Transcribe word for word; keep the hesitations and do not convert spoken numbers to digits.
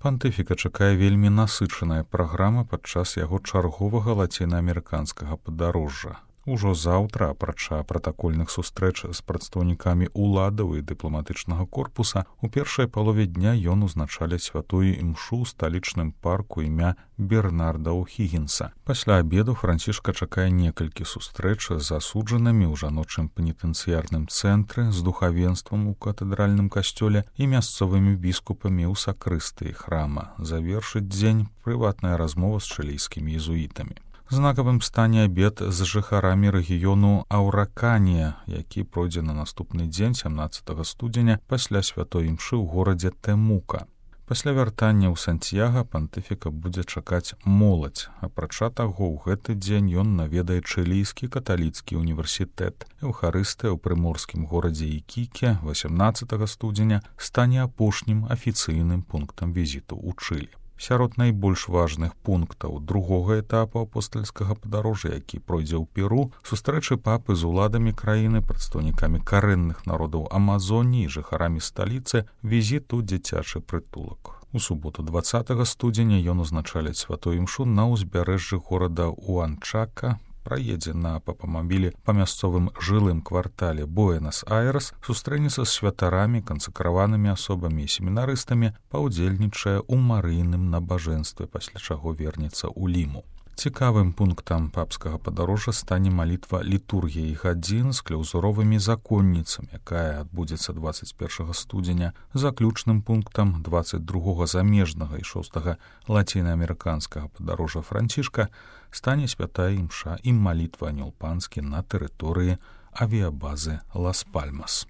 Пантыфіка чакае вельмі насычаная праграма падчас яго чарговага лацінаамерыканскага падарожжа. Ужо заўтра, апрача пратакольных сустрэч з прадстаўнікамі ўладаў і дыпламатычнага корпуса, у першай палове дня ён узначаляць святую імшу ў сталічным парку імя Бернарда О'Хігінса. Пасля абеду Францішка чакае некалькі сустрэч з асуджанымі ў жаночым пенітэнцыярным цэнтры, з духавенствам у катэдральным касцёле і мясцовымі біскупамі ў сакрыстыі храма. Завершыць дзень прыватная размова з чылійскімі езуітамі. Знакавым стане абед з жыхарамі рэгіёну Аўраканія, які пройдзе на наступны дзень сямнаццатага студзеня пасля святой імшы ў горадзе Тэмука. Пасля вяртання ў Сантьяга пантыфіка будзе чакаць моладзь. Апрача таго, ў гэты дзень ён наведае чылійскі каталіцкі універсітэт. Эўхарыстыя ў прыморскім горадзе Ікіке васямнаццатага студзеня стане апошнім афіцыйным пунктам візіту ў Чылі. Сярод найбольш важных пунктаў другога этапу апостальскага падарожжа, які пройдзе ў Перу, сустрэчы папы з уладамі краіны, прадстаўнікамі карэнных народаў Амазоніі і жыхарамі сталіцы, візіт у дзіцячы прытулак. У суботу дваццатага студзеня ён узначаляць святую імшу на ўзбярэжжы горада Уанчака, праедзе на папамабілі па мясцовым жылым квартале Буэнас-Айрес, сустрэнецца з святарамі, кансакраванымі асобамі і семінарыстамі, паўдзельнічае ў марыйным набажэнстве, пасля чаго вернецца ў Ліму. Цікавым пунктам папскага падарожжа стане малітва літургіі гадзін з кляўзуровымі законніцамі, якая адбудзецца дваццаць першага студзеня. Заключным пунктам дваццаць другога замежнага і шостага лацінаамерыканскага падарожжа Францішка стане святая імша і малітва анёл панскі на тэрыторыі авіябазы Лас-Пальмас.